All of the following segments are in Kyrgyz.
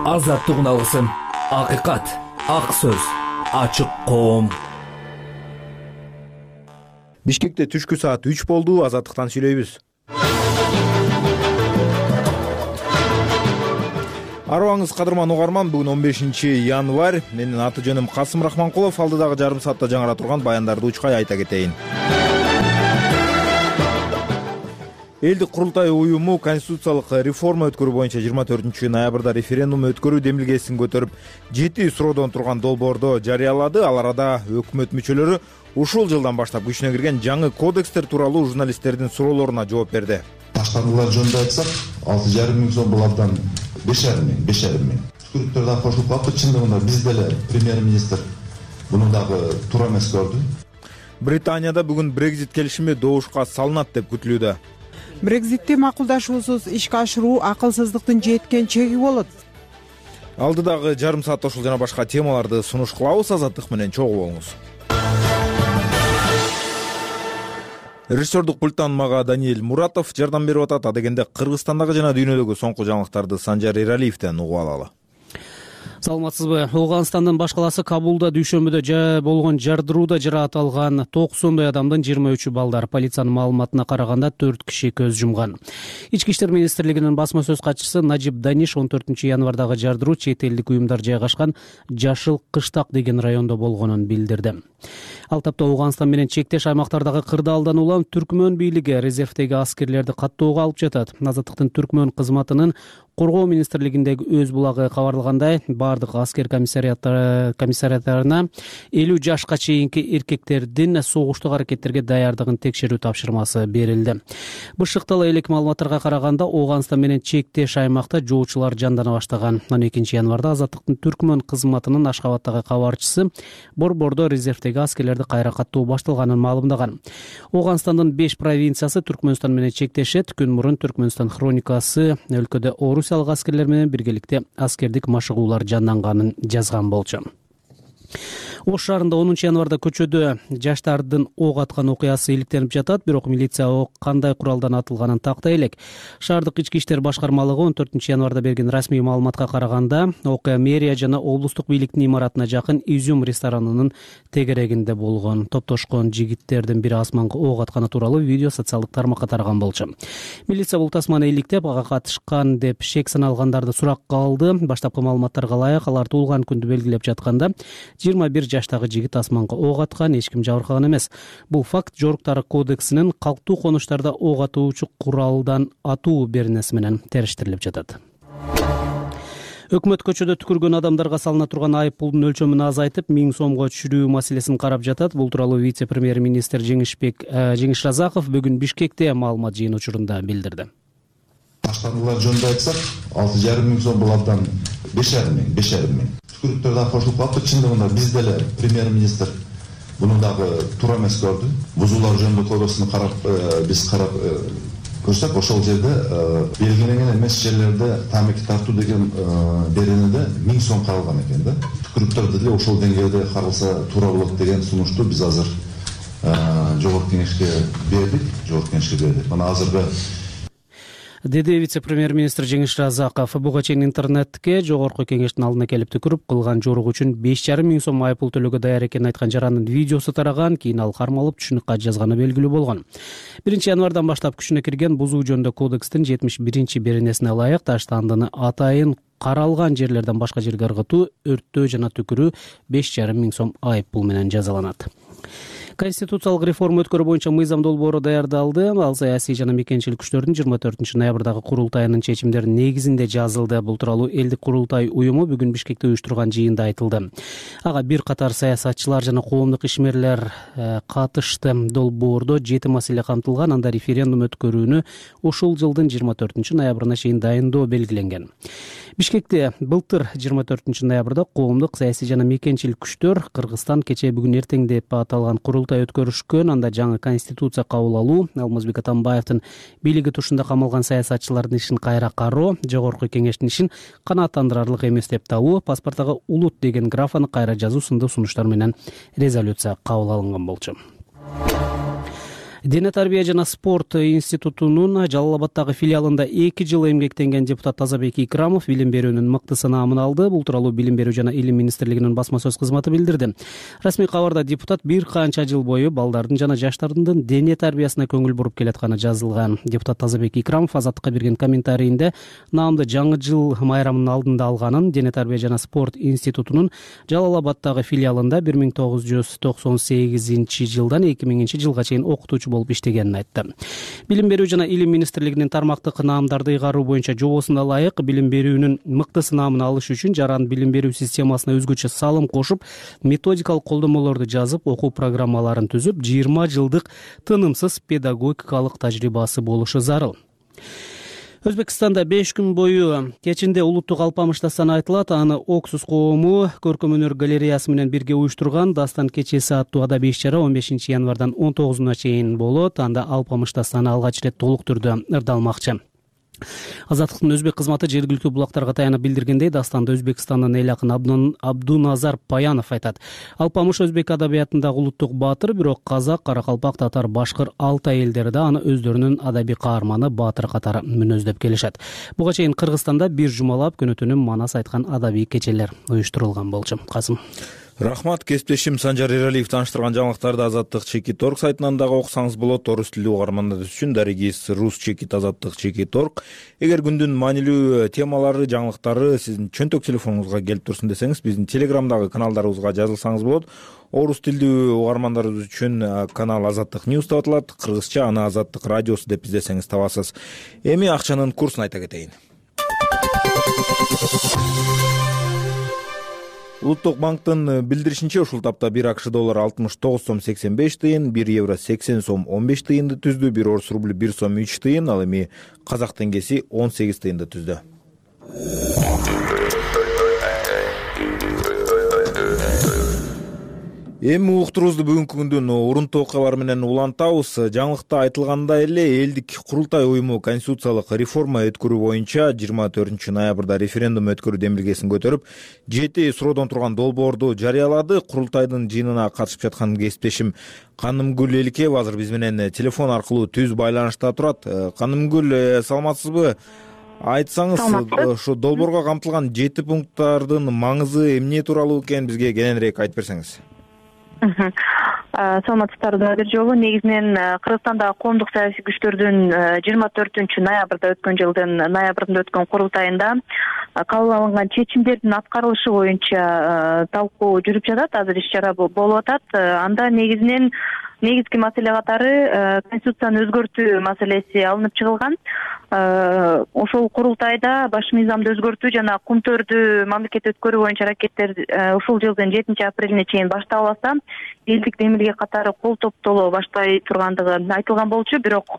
Азаттык алгысым, акыйкат, ак сөз, ачык коом. Бишкекте түшкү саат 3 болду. Азаттыктан сүйлөйбүз. Арыбаңыз кадырман угарман, бүгүн 15 январь. Менин аты жөнүм Касым Рахманкулов. Алдыдагы жарым саатта жаңыра турган баяндарды учкай айта кетейин. Элдик курултай уюму конституциялык реформа өткөрүү боюнча 24 ноябрда референдум өткөрүү демилгесин көтөрүп, 7 суроодон турган долбоорду жарыялады. Ал арада өкмөт мүчөлөрү ушул жылдан баштап күчүнө кирген жаңы кодекстер тууралуу журналисттердин суроолоруна жооп берди. Башкаруулар жөнүндө айтсак, 6,5 миң сом булардан 5,5 миң. Түшкүрүктөр да кошулуп калды. Чындыгында биз деле премьер-министр муну дагы туура эмес көрдү. Британияда бүгүн Brexit келишими добушка салынат деп күтүлүүдө. Брекзитти макулдашуусуз ишке ашыруу акылсыздыктын жеткен чеги болот. Алдыдагы жарым саатта ушул жана башка темаларды сунуш кылабыз. Азаттык менен чогуу болуңуз. Режиссердук пульттан мага Даниэль Муратов жардам берип атат. Адегенде Кыргызстандагы жана дүйнөдөгү соңку жаңылыктарды Санжар Эралиевден угуп алалы. Саламатсызбы? Ооганстандын баш калаасы Кабулда дүйшөмбүдө болгон жардырууда жараат алган 90 адамдын 23 балдар. Полициянын маалыматына караганда 4 киши көз жумган. Ички иштер министрлигинин басма сөз катчысы Najib Danish 14 январдагы жардыруу чет элдик уюмдар жайгашкан Жашыл Кыштак деген райондо болгонун билдирди. Ал тапта Ооганстан менен чектеш аймактардагы кырдаалдан улам Түркмөн бийлиги резервдеги аскерлерди каттоого алып жатат. Азаттыктын Түркмөн кызматынын коргоо министрлигиндеги өз булагы кабарлагандай, бардык аскер комиссариаттарына 50 жашка чейинки эркектердин согуштук аракеттерге даярдыгын текшерүү тапшырмасы берилди. Бышыктала элек маалыматтарга караганда Ооганстан менен чектеш аймакта жоочулар жандана баштаган. 12 январда Азаттыктын Түркмөн кызматынын Ашкабадтагы кабарчысы борбордо резервдеги аскерлерди кайра каттоо башталганын маалымдаган. Ооганстандын 5 провинциясы Түркмөнстан менен чектешет. Күн мурун Түркмөнстан хроникасы өлкөдө орусиялык аскерлер менен биргеликте аскердик машыгуулар жанданганын жазган болчу. Ош шаарында 10 январда көчөдө жаштардын ок аткан окуясы иликтенип жатат, бирок милиция ок кандай куралдан атылганын тактай элек. Шаардык ички иштер башкармалыгы 14 январда берген расмий маалыматка караганда, окуя мэрия жана облустук бийликтин имаратына жакын Изюм ресторанынын тегерегинде болгон. Топтошкон жигиттердин бири асманга ок атканы тууралуу видео социалдык тармакка тараган болчу. Милиция бул тасманы иликтеп, ага катышкан деп шек саналгандарды суракка алды. Баштапкы маалыматтарга ылайык, алар туулган күндү белгилеп жатканда 21 жаштагы жигит асманга ок аткан, эч ким жабыркаган эмес. Бул факт жоруктары кодексинин калктуу конуштарда ок атуучу куралдан атуу беренеси менен териштирилип жатат. Өкмөт көчөдө түкүргөн адамдарга салына турган айып пулдун өлчөмүн азайтып 1000 сомго түшүрүү маселесин карап жатат. Бул тууралуу вице-премьер-министр Жеңиш Разаков бүгүн Бишкекте маалымат жыйын учурунда билдирди. Башкаруулар жөнүндө айтсак, 6,5 миң сом булардан 5,5 миң. Түшкүрүктөр да кошулуп калды. Чындыгында биз деле премьер-министр муну дагы туура эмес көрдү. Бузуулар жөнүндө кодексин биз карап көрсөк, ошол жерде белгиленген эмес жерлерде тамеки тартуу деген беренеде 1000 сом каралган экен да. Түкүрүктөрдү деле ошол деңгээлде каралса туура болот деген сунушту биз азыр жогорку кеңешке бердик. Мына азыркы деди вице-премьер-министр Жеңиш Разаков. Буга чейин интернетке жогорку кеңештин алдына келип түкүрүп, кылган жорук үчүн 5,5 миң сом айыппул төлөөгө даяр экенин айткан жарандын видеосу тараган. Кийин ал кармалып түшүнүк кат жазганы белгилүү болгон. 1 январдан баштап күчүнө кирген бузуу жөнүндө кодекстин 71 беренесине ылайык таштандыны атайын каралган жерлерден башка жерге ыргытуу, өрттөө жана түкүрүү 5,5 миң сом айыппул менен жазаланат. Конституциялык реформа өткөрүү боюнча мыйзам долбоору даярдалды. Ал саясий жана мекенчилик күчтөрдүн 24 ноябрдагы курултайынын чечимдеринин негизинде жазылды. Бул тууралуу элдик курултай уюму бүгүн Бишкекте уюштурган жыйында айтылды. Ага бир катар саясатчылар жана коомдук ишмерлер катышты. Долбоордо 7 маселе камтылган, анда референдум өткөрүүнү ушул жылдын 24 ноябрына чейин дайындоо белгиленген. Бишкекте былтыр 24 ноябрда коомдук, саясий жана мекенчилик күчтөр Кыргызстан кечээ бүгүн эртең деп аталган курултай өткөрүшкөн. Анда жаңы конституция кабыл алуу, Алмазбек Атамбаевдин бийлиги тушунда камалган саясатчылардын ишин кайра кароо, жогорку кеңештин ишин канааттандырарлык эмес деп табуу, паспорттагы улут деген графаны кайра жазуу сындуу сунуштар менен резолюция кабыл алынган болчу. Дене тарбия жана спорт институтунун Жалал Абаддагы филиалында 2 жыл эмгектенген депутат Тазабек Икрамов билим берүүнүн мыкты сынаамын алды. Бул тууралуу Билим берүү жана илим министрлигинин басма сөз кызматы билдирди. Расмий кабарда депутат бир канча жыл бою балдардын жана жаштардын дене тарбиясына көңүл буруп келатканы жазылган. Депутат Тазабек Икрамов Азаттыкка берген комментарийинде наамды жаңы жыл майрамынын алдында алганын, Дене тарбия жана спорт институтунун Жалал Абаддагы филиалында 1998 жылдан 2000 жылга чейин окутуучу болуп иштегенин айтты. Билим берүү жана илим министрлигинин тармактык наамдарды ыйгаруу боюнча жобосуна ылайык билим берүүнүн мыкты сынаамын алыш үчүн жаран билим берүү системасына өзгөчө салым кошуп, методикалык колдомолорду жазып, окуу программаларын түзүп, 20 жылдык тынымсыз педагогикалык тажрыйбасы болушу зарыл. Өзбекстанда 5 күн бою кечинде улуттук алпамыш дастаны айтылат. Аны Оксус коому көркөм өнөр галереясы менен бирге уюштурган дастан кечеси аттуу адабий иш-чара 15 январдан 19 чейин болот. Анда алпамыш дастаны алгач ирет толук түрдө ырдалмакчы. Азаттыктын өзбек кызматы жергиликтүү булактарга таянып билдиргендей, дастанды Өзбекстандын эл акыны Абдуназар Паянов айтат. Алпамыш өзбек адабиятындагы улуттук баатыр, бирок казак, каракалпак, татар, башкыр, алтай элдери да аны өздөрүнүн адабий каарманы, баатыр катары мүнөздөп келишет. Буга чейин Кыргызстанда бир жумалап күнү-түнү манас айткан адабий кечелер уюштурулган болчу. Касым. Рахмат, кесиптешим Санжар Эралиев тааныштырган жаңылыктарды Азаттык Чекит Орг сайтынан дагы окусаңыз болот. Орус тилдүү угармандар үчүн дарегиз Рус Чекит Азаттык Чекит Орг. Эгер күндүн маанилүү темалары, жаңылыктары сиздин чөнтөк телефонуңузга келип турсун десеңиз, биздин Телеграмдагы каналдарыбызга жазылсаңыз болот. Орус тилдүү угармандарыбыз үчүн канал Азаттык Ньюс деп аталат. Кыргызча аны Азаттык радиосу деп издесеңиз табасыз. Эми акчанын курсун айта кетейин. Улуттук банктын билдиришинче, ушул тапта 1 АКШ доллары 69 сом 85 тыйын, 1 евро 80 сом 15 тыйынды түздү, 1 орус рубль 1 сом 3 тыйын, ал эми казак теңгеси 18 тыйынды түздү. Эми уктурубузду бүгүнкү күндүн урунтуу окуялары менен улантабыз. Жаңылыкта айтылгандай эле элдик курултай уюму конституциялык реформа өткөрүү боюнча 24 ноябрда референдум өткөрүү демилгесин көтөрүп, 7 суроодон турган долбоорду жарыялады. Курултайдын жыйынына катышып жаткан кесиптешим Канымгүл Эликеева азыр биз менен телефон аркылуу түз байланышта турат. Канымгүл, саламатсызбы? Айтсаңыз, ошо долбоорго камтылган 7 пункттардын маңызы эмне тууралуу экенин бизге кененирээк айтып берсеңиз. Саламатсыздарбы бир жолу. Негизинен Кыргызстандагы коомдук саясий күчтөрдүн 24 ноябрда өткөн жылдын ноябрында өткөн курултайында кабыл алынган чечимдердин аткарылышы боюнча талкуу жүрүп жатат. Азыр иш-чара болуп атат. Анда негизги маселе катары конституцияны өзгөртүү маселеси алынып чыгылган. Ошол курултайда баш мыйзамды өзгөртүү жана кумтөрдү мамлекет өткөрүү боюнча аракеттер ушул жылдын 7 апрелине чейин башталбаса, элдик демилге катары кол топтоло баштай тургандыгы айтылган болчу. Бирок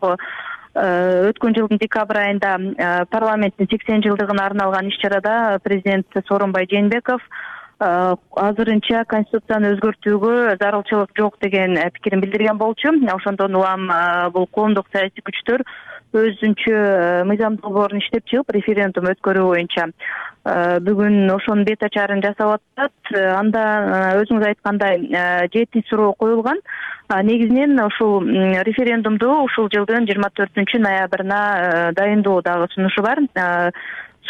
өткөн жылдын декабрь айында парламенттин 80 жылдыгына арналган иш-чарада президент Сооронбай Жээнбеков азырынча конституцияны өзгөртүүгө зарылчылык жок деген пикирин билдирген болчу. Ошондон улам бул коомдук саясий күчтөр өзүнчө мыйзам долбоорун иштеп чыгып, референдум өткөрүү боюнча бүгүн ошонун бет ачарын жасап атат. Анда өзүңүз айткандай 7 суроо коюлган. Негизинен ушул референдумду ушул жылдын 24 ноябрына дайындоо дагы сунушу бар.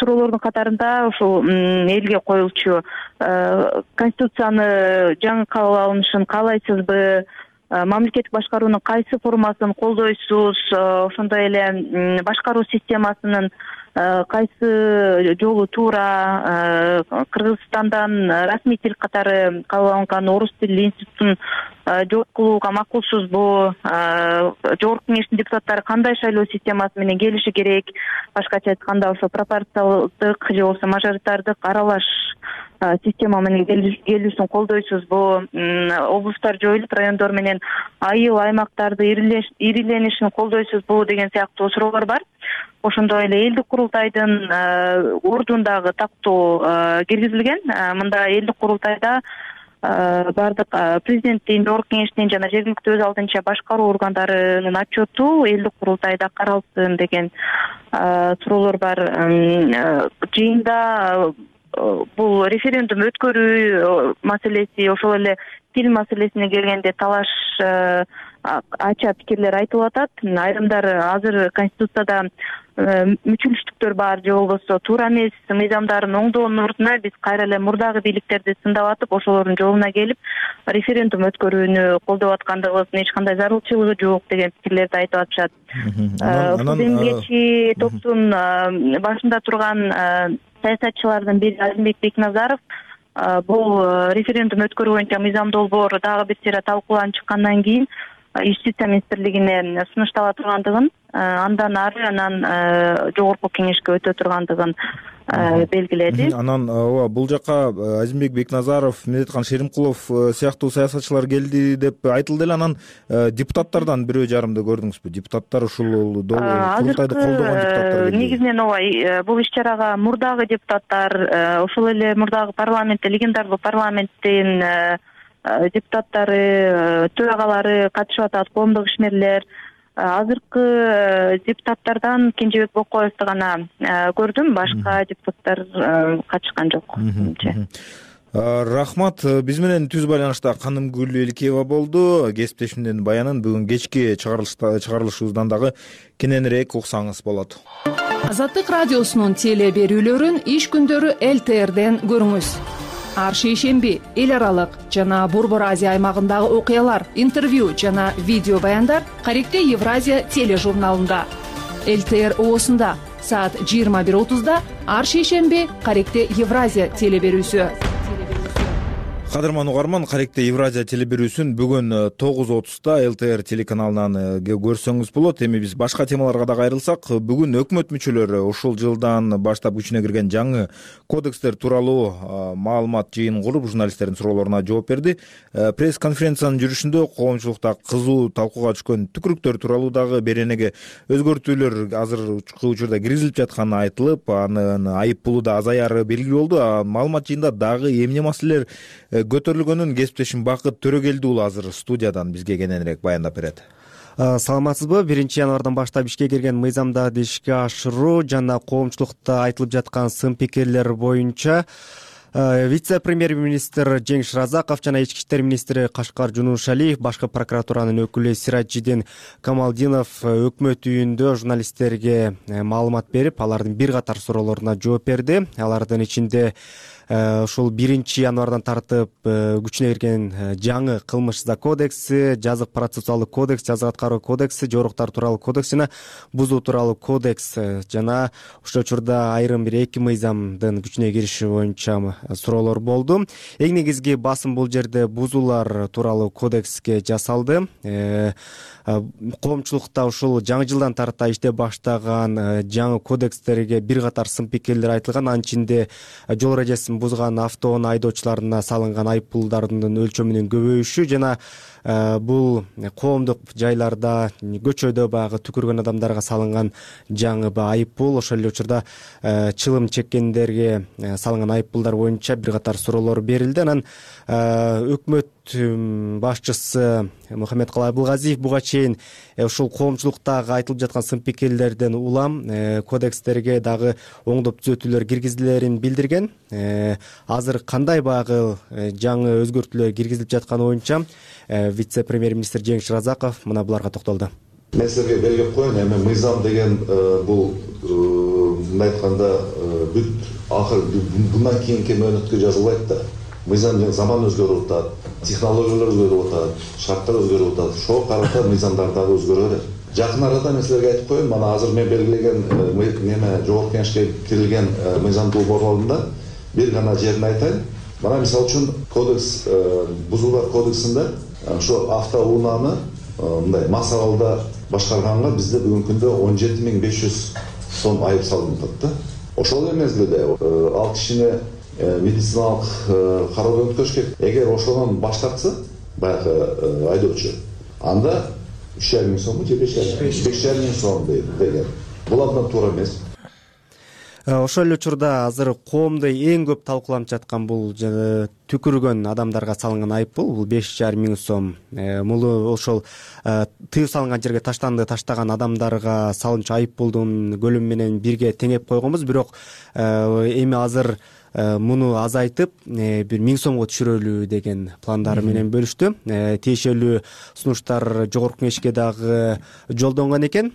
Суроолордун катарында ушул элге коюлчу конституцияны жаңы кабыл алынышын каалайсызбы, мамлекеттик башкаруунун кайсы формасын колдойсуз, ошондой эле башкаруу системасынын кайсы жолу туура, Кыргызстандан расмий тил катары кабыл алынган орус тилдүү институтун жокулууга макулсузбу, жогорку кеңештин депутаттары кандай шайлоо системасы менен келиши керек, башкача айтканда ошо пропорциялдык же болбосо мажоритардык аралаш система менен келүүсүн колдойсузбу, облустар жоюлуп райондор менен айыл аймактарды ириленишин колдойсузбу деген сыяктуу суроолор бар. Ошондой эле элдик курултайдын ордундагы тактоо киргизилген. Мында элдик курултайда бардык президенттин, жогорку кеңештин жана жергиликтүү өз алдынча башкаруу органдарынын отчету элдик курултайда каралсын деген суроолор бар. Жыйында бул референдум өткөрүү маселеси, ошол эле тил маселесине келгенде талаш ача пикирлер айтылып атат. Айрымдар азыр Конституцияда мүчүлүштүктөр бар же болбосо туура эмес мыйзамдарын оңдоонун ордуна биз кайра эле мурдагы бийликтерди сындап атып, ошолордун жолуна келип референдум өткөрүүнү колдоп аткандыгыбыздын эч кандай зарылчылыгы жок деген пикирлерди айтып атышат. Ушул демилгечи топтун башында турган саясатчылардын бири Азимбек Бекназаров бул референдум өткөрүү боюнча мыйзам долбоор дагы бир сыйра талкууланып чыккандан кийин Юстиция министрлигине сунуштала тургандыгын, андан ары анан жогорку кеңешке өтө тургандыгын белгиледи. Анан бул жака Азимбек Бекназаров, Медеткан Шеримкулов сыяктуу саясатчылар келди деп айтылды эле. Анан депутаттардан бирөө жарымды көрдүңүзбү? Депутаттар ушул курултайды колдогон депутаттар келди. Негизинен ооба, бул иш-чарага мурдагы депутаттар, ошол эле мурдагы парламентте, легендарлуу парламенттин депутаттары, төрагалары катышып атат, коомдук ишмерлер. Азыркы депутаттардан Кенжебек Бокоевду гана көрдүм, башка депутаттар катышкан жок. Рахмат. Биз менен түз байланышта Канымгүл Элкеева болду. Кесиптешимдин баянын бүгүн кечки чыгарылышыбыздан дагы кененирээк уксаңыз болот. Азаттык радиосунун теле берүүлөрүн иш күндөрү ЛТРден көрүңүз. Ар шейшемби эл аралык жана Борбор Азия аймагындагы окуялар, интервью жана видео баяндар Каректе Евразия тележурналында. ЛТР оосунда саат 21:30 ар шейшемби Каректе Евразия теле берүүсү. Кадырман угарман, Каректе Евразия теле берүүсүн бүгүн 9:30 ЛТР телеканалынан көрсөңүз болот. Эми биз башка темаларга да кайрылсак, бүгүн өкмөт мүчөлөрү ушул жылдан баштап күчүнө кирген жаңы кодекстер тууралуу маалымат жыйынын куруп, журналисттердин суроолоруна жооп берди. Пресс-конференциянын жүрүшүндө коомчулукта кызуу талкууга түшкөн түкүрүктөр тууралуу дагы беренеге өзгөртүүлөр азыркы учурда киргизилип жатканы айтылып, анын айып пулу да азаяры белгилүү болду. Маалымат жыйында дагы эмне маселелер көтөрүлгөнүн кесиптешим Бакыт Төрөгелди уулу азыр студиядан бизге кененирээк баяндап берет. Саламатсызбы? 1-январдан баштап ишке кирген мыйзамдарды ишке ашыруу жана коомчулукта айтылып жаткан сын пикирлер боюнча вице-премьер-министр Жеңиш Разаков жана ички иштер министри Кашкар Жунушалиев, башкы прокуратуранын өкүлү Сираджидин Камалдинов өкмөт үйүндө журналисттерге маалымат берип, алардын бир катар суроолоруна жооп берди. Алардын ичинде ушул 1-январдан тартып күчүнө кирген жаңы кылмыш кодекси, жазык процессуалдык кодекс, жазык аткаруу кодекси, жоруктар тууралуу кодекс жана бузуу тууралуу кодекс жана ушул учурда айрым бир 2 мыйзамдын күчүнө кириши боюнча суроолор болду. Эң негизги басым бул жерде бузуулар тууралуу кодекске жасалды. Коомчулукта ушул жаңы жылдан тарта иштеп баштаган жаңы кодекстерге бир катар сын пикирлер айтылган. Анын ичинде жол эрежесин бузган автоунаа айдоочуларына салынган айып пулдардын өлчөмүнүн көбөйүшү жана бул коомдук жайларда, көчөдө баягы түкүргөн адамдарга салынган жаңы айып пул, ошол эле учурда чылым чеккендерге салынган айып пулдар боюнча бир катар суроолор берилди. Анан өкмөт башчысы Мухаммедкалый Абылгазиев буга чейин ушул коомчулуктагы айтылып жаткан сын пикирлерден улам кодекстерге дагы оңдоп түзөтүүлөр киргизилерин билдирген. Азыр кандай баягы жаңы өзгөртүүлөр киргизилип жатканы боюнча вице-премьер-министр Жеңиш Разаков мына буларга токтолду. Мен силерге белгилеп коеюн, эми мыйзам деген бул мындай айтканда бүт акыр bundan кийинки мөөнөткө жазылбайт да. Мыйзам деген заман өзгөрүп атат, технологиялар өзгөрүп атат, шарттар өзгөрүп атат. Ошого карата мыйзамдар дагы өзгөрө берет. Жакын арада мен силерге айтып коеюн, мына азыр мен белгилеген неме жогорку кеңешке кирилген мыйзам долбоорлорунда бир гана жерин айтайын. Мына мисалы үчүн кодекс, бузуулар кодексинде ошо автоунааны мындай массалалда башкарганга бизде бүгүнкү күндө 17.500 сом айып салынып атат да. Ошол эле мезгилде ал кишини медициналык кароодон өткөрүш керек. Эгер ошодон баш тартса баягы айдоочу, анда 3,5 сом же 5,5 сом деген. Бул абдан туура эмес. Ошол эле учурда азыр коомдо эң көп талкууланып жаткан бул түкүргөн адамдарга салынган айып бул 5,5 сом. Муну ошол тыюу салынган жерге таштаган адамдарга салынчу айып пулдун көлөмү менен бирге теңеп койгонбуз. Бирок эми азыр муну азайтып бир 1000 сомго түшүрөлү деген пландары менен бөлүштү. Тиешелүү сунуштар жогорку кеңешке дагы жолдонгон экен.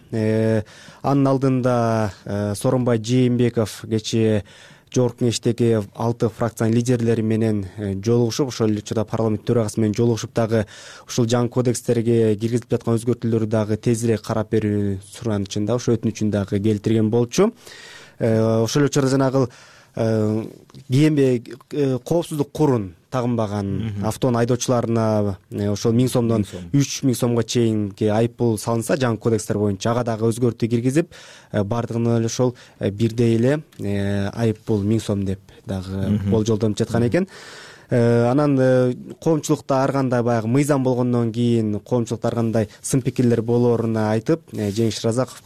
Анын алдында Сооронбай Жээнбеков кечээ жогорку кеңештеги 6 фракциянын лидерлери менен жолугушуп, ошол эле учурда парламент төрагасы менен жолугушуп дагы ушул жаңы кодекстерге киргизилип жаткан өзгөртүүлөрдү дагы тезирээк карап берүү суранычын да, ошо өтүнүчүн дагы келтирген болчу. Ошол эле учурда жанагы коопсуздук курун тагынбаган автоунаа айдоочуларына ошол 1000 сомдон 3000 сомго чейинки айыппул салынса, жаңы кодекстер боюнча ага дагы өзгөртүү киргизип, бардыгына эле ошол бирдей эле айыппул 1000 сом деп дагы болжолдонуп жаткан экен. Анан коомчулукта ар кандай баягы мыйзам болгондон кийин коомчулукта ар кандай сын пикирлер болооруна айтып, Жеңиш Разаков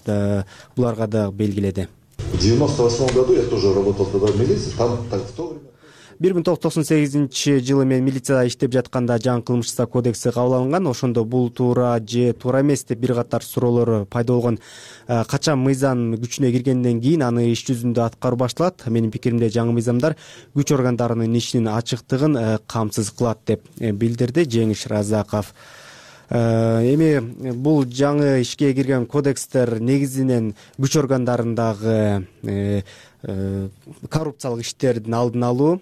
буларга да белгиледи. В 98 году я тоже работал тогда в милиции, там в то время 1998-жылы мен милицияда иштеп жатканда жаңы кылмыш иши кодекси кабыл алынган. Ошондо бул туура же туура эмес деп бир катар суроолор пайда болгон. Качан мыйзам күчүнө киргенден кийин аны иш жүзүндө аткаруу башталат. Менин пикиримде жаңы мыйзамдар күч органдарынын ишинин ачыктыгын камсыз кылат деп билдирди Жеңиш Разаков. Эми бул жаңы ишке кирген кодекстер негизинен күч органдарындагы коррупциялык иштердин алдын алуу,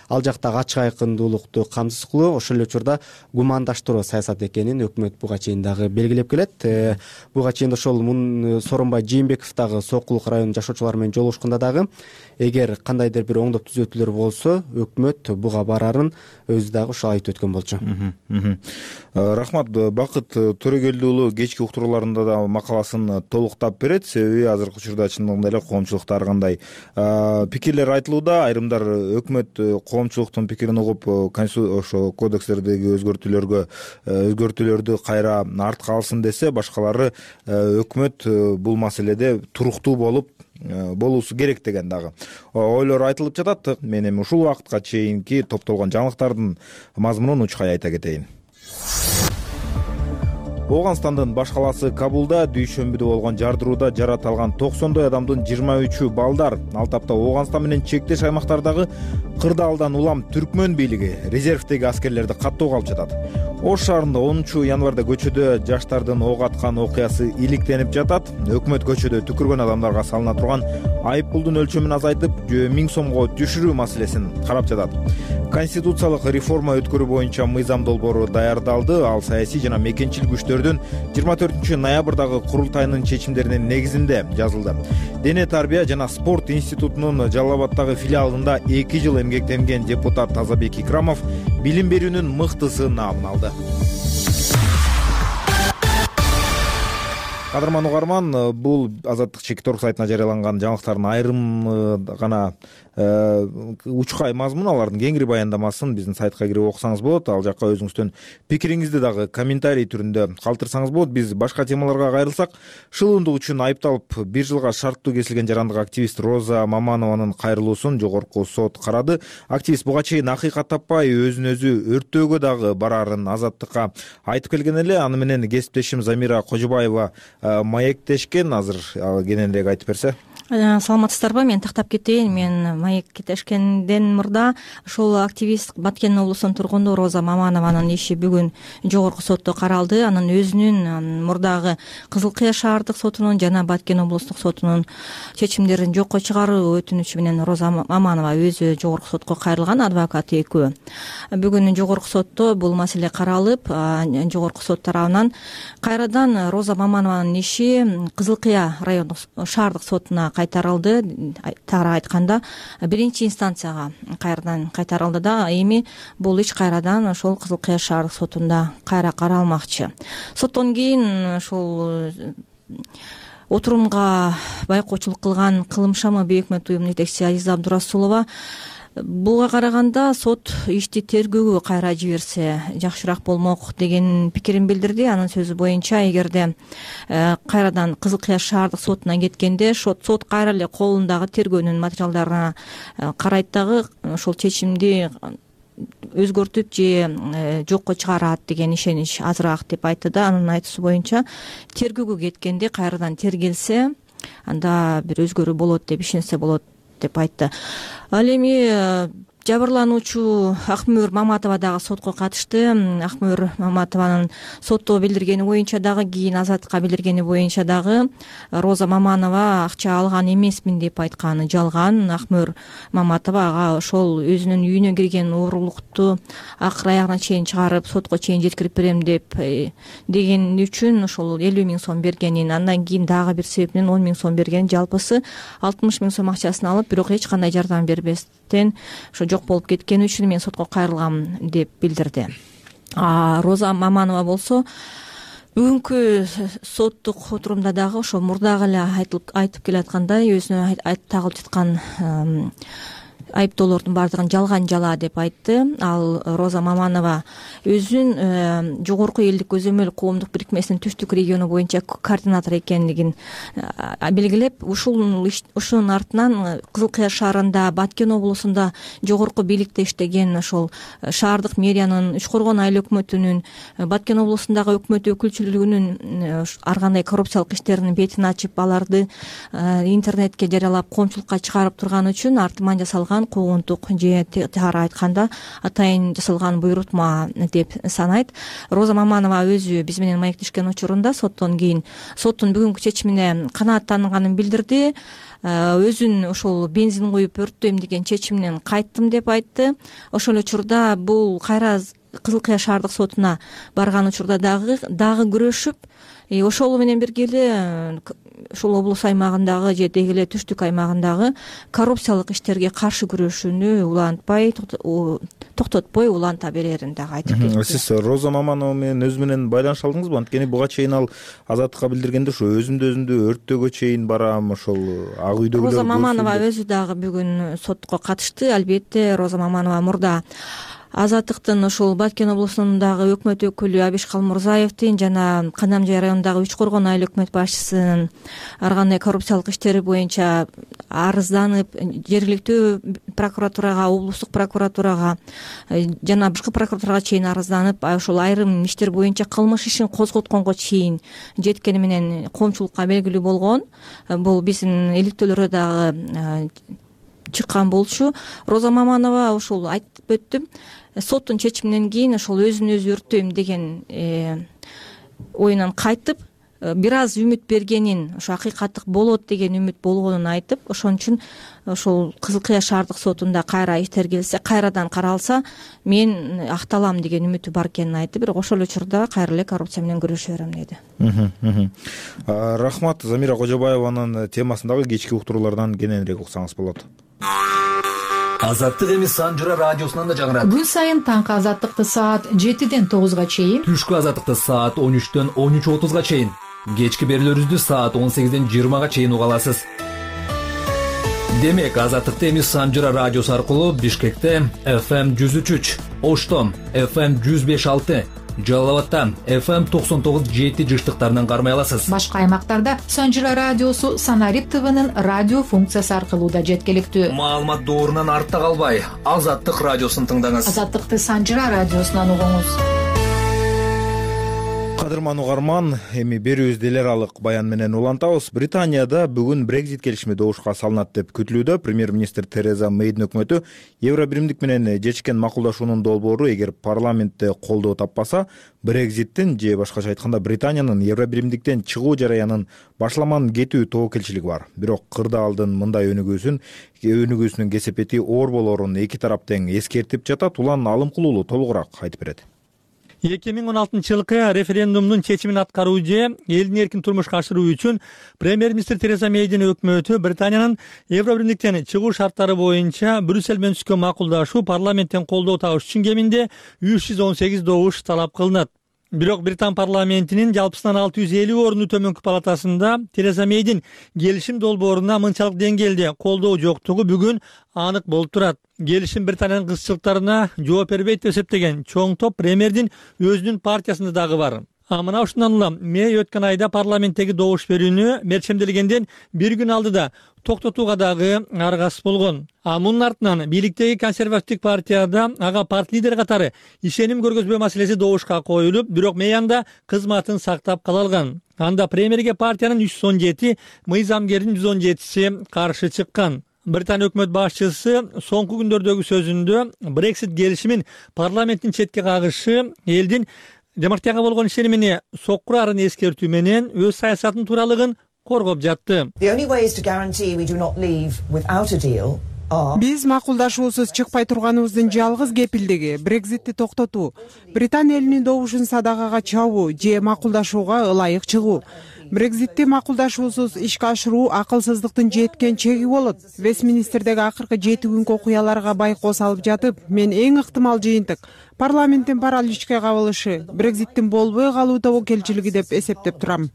ал жактагы ачык айкындуулукту камсыз кылуу, ошол эле учурда гумандаштыруу саясат экенин өкмөт буга чейин дагы белгилеп келет. Буга чейин ошол Сооронбай Жээнбеков дагы Сокулук районунун жашоочулары менен жолугушканда дагы эгер кандайдыр бир оңдоп түзөтүүлөр болсо, өкмөт буга барарын өзү дагы ошо айтып өткөн болчу. Рахмат. Бакыт Төрөгелди уулу кечки уктурууларында да макаласын толуктап берет. Себеби азыркы учурда чындыгында эле коомчулукта ар кандай пикирлер айтылууда. Айрымдар өкмөт коомчулуктун пикирин угуп, ошо кодекстердеги өзгөртүүлөрдү кайра артка алсын десе, башкалары өкмөт бул маселеде туруктуу болуусу керек деген дагы ойлор айтылып жатат. Мен эми ушул убакытка чейинки топтолгон жаңылыктардын мазмунун учкай айта кетейин. Ооганстандын баш калаасы Кабулда дүйшөмбүдө болгон жардырууда жарат алган 90 адамдын 23 балдар. Ал тапта Ооганстан менен чектеш аймактардагы кырдаалдан улам түркмөн бийлиги резервдеги аскерлерди каттоого алып жатат. Ош шаарында 10 январда көчөдө жаштардын ок аткан окуясы иликтенип жатат. Өкмөт көчөдө түкүргөн адамдарга салына турган айыппулдун өлчөмүн азайтып, 1000 сомго түшүрүү маселесин карап жатат. Конституциялык реформа өткөрүү боюнча мыйзам долбоору даярдалды. Ал саясий жана мекенчил күчтөрдүн 24 ноябрдагы курултайынын чечимдеринин негизинде жазылды. Дене тарбия жана спорт институтунун Жалал Абаддагы филиалында 2 жыл эмгектенген депутат Тазабек Икрамов билим берүүнүн мыктысы наамын алды. Кадырман угарман, бул Азаттык Чекиторг сайтына жарыяланган жаңылыктардын айрым гана учкай мазмун, алардын кеңири баяндамасын биздин сайтка кирип окусаңыз болот. Ал жакка өзүңүздүн пикириңизди дагы комментарий түрүндө калтырсаңыз болот. Биз башка темаларга кайрылсак, шылуундук үчүн айыпталып 1 жылга шарттуу кесилген жарандык активист Роза Маманованын кайрылуусун жогорку сот карады. Активист буга чейин акыйкат таппай өзүн өзү өрттөөгө дагы барарын Азаттыкка айтып келген эле. Аны менен кесиптешим Замира Кожобаева маектешкен. Азыр кененирээк айтып берсе. Саламатсыздарбы? Мен тактап кетейин. Мен маектешкенден мурда ошол активист Баткен облусунун тургуну Роза Маманованын иши бүгүн жогорку сотто каралды. Анын өзүнүн мурдагы Кызыл Кыя шаардык сотунун жана Баткен облустук сотунун чечимдерин жокко чыгаруу өтүнүчү менен Роза Маманова өзү жогорку сотко кайрылган, адвокат экөө. Бүгүн жогорку сотто бул маселе каралып, жогорку сот тарабынан кайрадан Роза Маманованын иши Кызыл Кыя райондук шаардык сотуна кайтарылды. Тагыраак айтканда, биринчи инстанцияга кайрадан кайтарылды да, эми бул иш кайрадан ошол Кызыл Кыя шаардык сотунда кайра каралмакчы. Соттон кийин ошол отурумга байкоочулук кылган Кылымшамы бейөкмөт уюмунун жетекчиси Азиза Абдурасулова буга караганда сот ишти тергөөгө кайра жиберсе жакшыраак болмок деген пикирин билдирди. Анын сөзү боюнча, эгерде кайрадан Кызыл Кыя шаардык сотуна кеткенде сот кайра эле колундагы тергөөнүн материалдарына карайт дагы ошол чечимди өзгөртүп же жокко чыгарат деген ишенич азыраак деп айтты да. Анын айтуусу боюнча, тергөөгө кеткенде кайрадан тергелсе, анда бир өзгөрүү болот деп ишенсе болот деп айтты. Ал эми жабырлануучу Акмөр Маматова дагы сотко катышты. Акмөр Маматованын сотто билдиргени боюнча дагы, кийин Азаттыкка билдиргени боюнча дагы Роза Маманова акча алган эмесмин деп айтканы жалган. Акмөр Маматова ага ошол өзүнүн үйүнө кирген уурулукту акыр аягына чейин чыгарып, сотко чейин жеткирип берем деп деген үчүн ошол 50 000 сом бергенин, андан кийин дагы бир себеп менен 10 000 сом бергенин, жалпысы 60 000 сом акчасын алып, бирок эч кандай жардам бербестен ошо жок болуп кеткени үчүн мен сотко кайрылгам деп билдирди. Роза Маманова болсо бүгүнкү соттук отурумда дагы ошо мурдагы эле айтып келаткандай, өзүнө тагылып жаткан айыптоолордун баардыгын жалган жала деп айтты. Ал Роза Маманова өзүн жогорку элдик көзөмөл коомдук бирикмесинин түштүк региону боюнча координатор экендигин белгилеп, ушунун артынан Кызыл Кыя шаарында, Баткен облусунда жогорку бийликте иштеген ошол шаардык мэриянын, Үч Коргон айыл өкмөтүнүн, Баткен облусундагы өкмөт өкүлчүлүгүнүн ар кандай коррупциялык иштеринин бетин ачып, аларды интернетке жарыялап, коомчулукка чыгарып турган үчүн артыман жасалган куугунтук же тегара айтканда атайын жасалган буйрутма деп санайт. Роза Маманова өзү биз менен маектешкен учурунда соттон кийин соттун бүгүнкү чечимине канааттанганын билдирди. Өзүн ошол бензин куюп өрттөйм деген чечиминен кайттым деп айтты. Ошол учурда бул кайра Кызыл Кыя шаардык сотуна барган учурда дагы күрөшүп, ошол менен бирге эле ушул облус аймагындагы же деги эле түштүк аймагындагы коррупциялык иштерге каршы күрөшүүнү улантпай, токтотпой уланта берерин дагы айтып кетти. Сиз Роза Маманова менен өзү менен байланыша алдыңызбы? Анткени буга чейин ал Азаттыкка билдиргенде ошо өзүмдү өрттөөгө чейин барам, ошол ак үйдөгүлөр. Роза Маманова өзү дагы бүгүн сотко катышты. Албетте Роза Маманова мурда Азаттыктын ошол Баткен облусундагы өкмөт өкүлү Абиш Калмурзаевдин жана Канамжай районундагы Үч Коргон айыл өкмөт башчысынын ар кандай коррупциялык иштери боюнча арызданып, жергиликтүү прокуратурага, облустук прокуратурага жана башка прокуратурага чейин арызданып, ошол айрым иштер боюнча кылмыш ишин козготконго чейин жеткени менен коомчулукка белгилүү болгон. Бул биздин иликтөөлөрдө дагы чыккан болчу. Роза Маманова ошол айтып өттүм, соттун чечиминен кийин ошол өзүн өзү өрттөйм деген оюнан кайтып, бир аз үмүт бергенин, ошо акыйкаттык болот деген үмүт болгонун айтып, ошон үчүн ошол Кызыл Кыя шаардык сотунда кайра иштер келсе, кайрадан каралса, мен акталам деген үмүтү бар экенин айтты. Бирок ошол учурда кайра эле коррупция менен күрөшө берем деди. Рахмат. Замира Кожобаеванын темасындагы кечки уктуруулардан кененирээк уксаңыз болот. Азаттык эми Санжыра радиосунан да жаңырат. Күн сайын таңкы Азаттыкты саат 7-ден 9-га чейин, түшкү Азаттыкты саат 13-төн 13:30-га чейин, кечки берүүлөрүбүздү саат 18-ден 20-га чейин уга аласыз. Демек, Азаттыкты эми Санжыра радиосу аркылуу Бишкекте FM 103, Ошто FM 105.6, Жалал Абадта FM 99.7 жыштыктарынан кармай аласыз. Башка аймактарда Санжыра радиосу Санарип ТВнын радио функциясы аркылуу да жеткиликтүү. Маалымат доорунан артта калбай, Азаттык радиосун тыңдаңыз. Азаттыкты Санжыра радиосунан угуңуз. Кадырман угарман, эми берүүбүздү эл аралык баян менен улантабыз. Британияда бүгүн Brexit келишими добушка салынат деп күтүлүүдө. Премьер-министр Тереза Мейдин өкмөтү Евробиримдик менен чечкен макулдашуунун долбоору эгер парламентте колдоо таппаса, Brexit'тин же башкача айтканда Британиянын Евробиримдиктен чыгуу жараянын башламан кетүү тобокелчилиги бар. Бирок кырдаалдын мындай өнүгүүсүнүн кесепети оор болорун эки тарап тең эскертип жатат. Улан Алымкулуулу толугураак айтып берет. 2016-жылкы референдумдун чечимин аткаруу же элдин эркин турмушка ашыруу үчүн премьер-министр Тереза Мейдин өкмөтү Британиянын Евробиримдиктен чыгуу шарттары боюнча Брюссель менен түзгөн макулдашуу парламенттен колдоо табыш үчүн кеминде 318 добуш талап кылынат. Бирок Британ парламентинин жалпысынан 650 орунду төмөнкү палатасында Тереза Мейдин келишим долбооруна мынчалык деңгээлде колдоо жоктугу бүгүн анык болуп турат. Келишим Британиянын кызчылыктарына жооп бербейт деп эсептеген чоң топ премьердин өзүнүн партиясында дагы бар. Мына ушундан улам Мэй өткөн айда парламенттеги добуш берүүнү мерчемделгенден бир күн алдыда токтотууга дагы аргасыз болгон. Мунун артынан бийликтеги консервативдик партияда ага парт лидери катары ишеним көргөзбөө маселеси добушка коюлуп, бирок Мэй анда кызматын сактап кала алган. Анда премьерге партиянын 317, мыйзамгердин 117си каршы чыккан. Британия өкмөт башчысы соңку күндөрдөгү сөзүндө Brexit келишимин парламенттин четке кагышы элдин демократияга болгон ишенимине соккурарын эскертүү менен өз саясатынын тууралыгын коргоп жатты. Биз макулдашуусуз чыкпай турганыбыздын жалгыз кепилдиги Брекзитти токтотуу, Британия элинин добушун садакага чабуу же макулдашууга ылайык чыгуу. Брекзитти макулдашуусуз ишке ашыруу акылсыздыктын жеткен чеги болот. Вестминистердеги акыркы 7 күнкү окуяларга байкоо салып жатып, мен эң ыктымал жыйынтык парламенттин параличке кабылышы Брекзиттин болбой калуу тобокелчилиги деп эсептеп турам.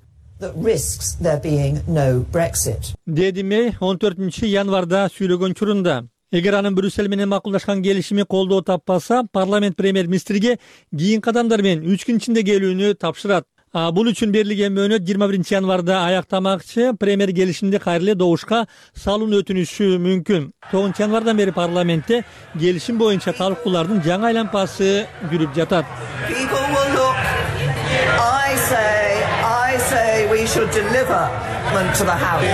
Деди Мэй 14 январда сүйлөгөн учурунда. Эгер анын Брюссель менен макулдашкан келишими колдоо таппаса, парламент премьер-министрге кийин кадамдар менен 3 күн ичинде келүүнү тапшырат. Бул үчүн берилген мөөнөт 21 январда аяктамакчы. Премьер келишимди кайра эле добушка салууну өтүнүшү мүмкүн. 9 январдан бери парламентте келишим боюнча талкуулардын жаңы айланпасы жүрүп жатат. We should deliver to the House.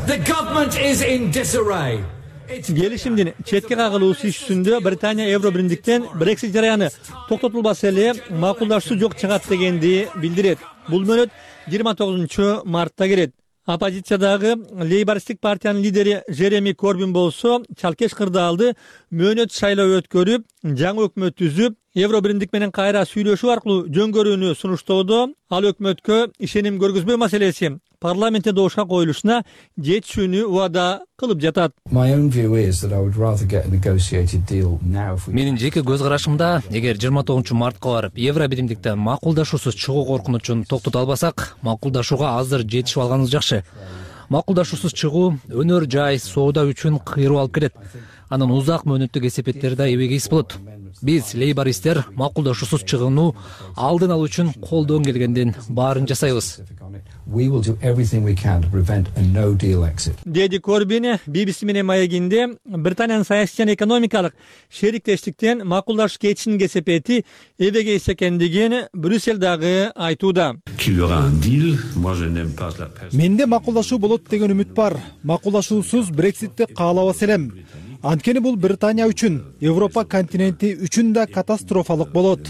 The government is in disarray. Келишимдин четке кагылуусу ишүндө Британия Евро биримдиктен Brexit жараяны токтотулбаса эле макулдашуу жок чыгат дегенди билдирет. Бул мөөнөт 29 мартта келет. Оппозициядагы Лейбористтик партиянын лидери Жереми Корбин болсо чалкеш кырдаалды мөөнөт шайлоо өткөрүп, жаңы өкмөт түзүп, Евро биримдик менен кайра сүйлөшүү аркылуу жөнгөрүүнү сунуштоодо. Ал өкмөткө ишеним көргөзбөө маселеси парламентте добушка коюлушуна жетишүүнү убада кылып жатат. Менин жеке көз карашымда, эгер 29 мартка барып Евро биримдиктен макулдашуусуз чыгуу коркунучун токтото албасак, макулдашууга азыр жетишип алганыбыз жакшы. Макулдашуусуз чыгуу өнөр жай, соода үчүн кыйроо алып келет. Анын узак мөөнөттүк эсепеттери да эбегейс болот. Биз лейбористтер макулдашуусуз чыгууну алдын алуу үчүн колдон келгендин баарын жасайбыз. Деди Корбин BBC менен маегинде Британиянын саясий жана экономикалык шериктештиктен макулдашуу кетишинин кесепети эбегейс экендигин Брюссель дагы айтууда. Менде макулдашуу болот деген үмүт бар. Макулдашуусуз Брекситти каалабас элем. Анткени бул Британия үчүн, Европа континенти үчүн да катастрофалык болот.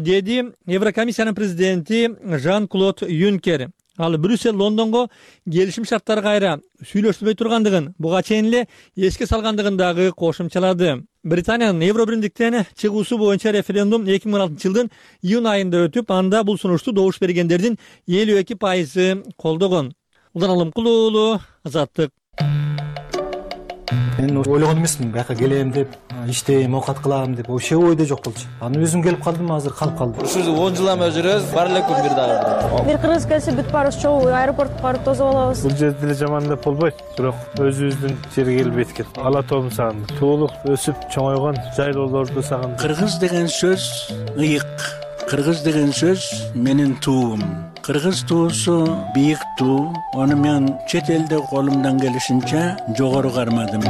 Деди Еврокомиссиянын президенти Жан-Клод Юнкер. Ал Брюссель Лондонго келишим шарттары кайра сүйлөшүлбөй тургандыгын, буга чейин эле эске салгандыгын дагы кошумчалады. Британиянын Евро биримдиктен чыгуусу боюнча референдум 2016 жылдын июнь айында өтүп, анда бул сунушту добуш бергендердин 52% колдогон. Улан Алымкулуу уулу, Азаттык. Мен ойлогон эмесмин, бияка келем деп, иштейм, оокат кылам деп, вообще ойдо жок болчу. Аны өзүм келип калдым, азыр калып калдым. Ушул 10 жылдан бери жүрөбүз, бар эле күн бир дагы. Бир кыргыз келсе бүт баарыбыз чогуу аэропортко барып тосуп алабыз. Бул жерде деле жаман деп болбойт, бирок өзүбүздүн жерге келбейт экен. Ала тоом сагындым. Туулук өсүп чоңойгон жайлоолорду сагындым. Кыргыз деген сөз ыйык. Кыргыз деген сөз менин туум. Кыргыз туусу бийик туу. Аны мен чет элде колумдан келишинче жогору кармадым.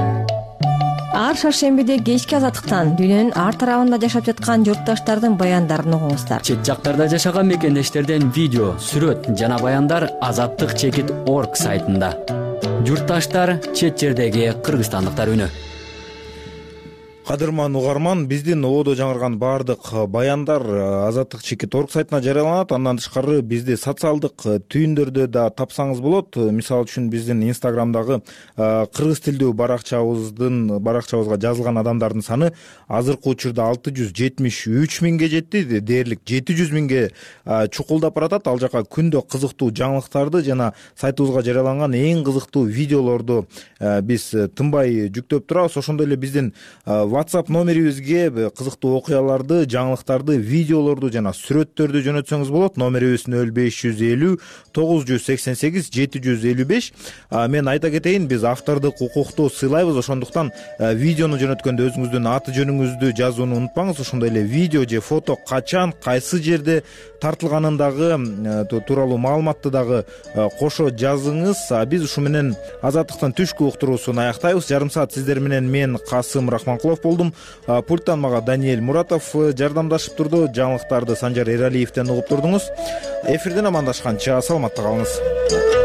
Ар шаршембиде кечки Азаттыктан дүйнөнүн ар тарабында жашап жаткан журтташтардын баяндарын угуңуздар. Чет жактарда жашаган мекендештерден видео, сүрөт жана баяндар azattik.org сайтында. Журтташтар, чет жердеги кыргызстандыктар үнү. Кадырман угарман, биздин ободо жаңырган баардык баяндар azattik.org сайтына жарыяланат. Андан тышкары бизди социалдык түйүндөрдө да тапсаңыз болот. Мисалы үчүн биздин Инстаграмдагы кыргыз тилдүү баракчабызга жазылган адамдардын саны азыркы учурда 673 миңге жетти. Дээрлик 700 миңге чукулдап баратат. Ал жака күндө кызыктуу жаңылыктарды жана сайтыбызга жарыяланган эң кызыктуу видеолорду биз тынбай жүктөп турабыз. Ошондой эле биздин WhatsApp номерибизге кызыктуу окуяларды, жаңылыктарды, видеолорду жана сүрөттөрдү жөнөтсөңүз болот. Номерибиз 0550 988 755. Мен айта кетейин, биз автордук укукту сыйлайбыз. Ошондуктан видеону жөнөткөндө өзүңүздүн аты жөнүңүздү жазууну унутпаңыз. Ошондой эле видео же фото качан, кайсы жерде тартылганын дагы тууралуу маалыматты дагы кошо жазыңыз. Биз ушу менен Азаттыктын түшкү уктуруусун аяктайбыз. Жарым саат сиздер менен мен Касым Рахманкулов болдум. Пульттан мага Даниэль Муратов жардамдашып турду. Жаңылыктарды Санжар Эралиевден угуп турдуңуз. Эфирден амандашканча саламатта калыңыз.